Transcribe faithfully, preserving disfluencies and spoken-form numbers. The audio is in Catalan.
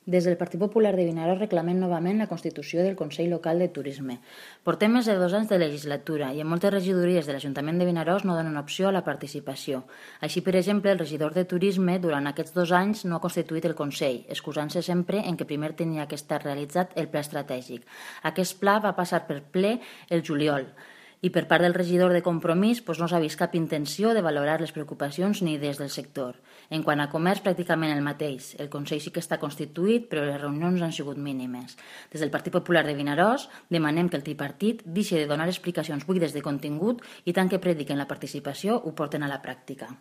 Des del Partit Popular de Vinaròs reclamem novament la constitució del Consell Local de Turisme. Portem més de dos anys de legislatura i en moltes regidories de l'Ajuntament de Vinaròs no donen opció a la participació. Així, per exemple, el regidor de Turisme durant aquests dos anys no ha constituït el Consell, excusant-se sempre en que primer tenia que estar realitzat el pla estratègic. Aquest pla va passar per ple el juliol i per part del regidor de Compromís doncs no s'ha vist cap intenció de valorar les preocupacions ni des del sector. En quant a comerç, pràcticament el mateix. El Consell sí que està constituït, però les reunions han sigut mínimes. Des del Partit Popular de Vinaròs demanem que el tripartit deixi de donar explicacions buides de contingut i tant que prediquen la participació ho porten a la pràctica.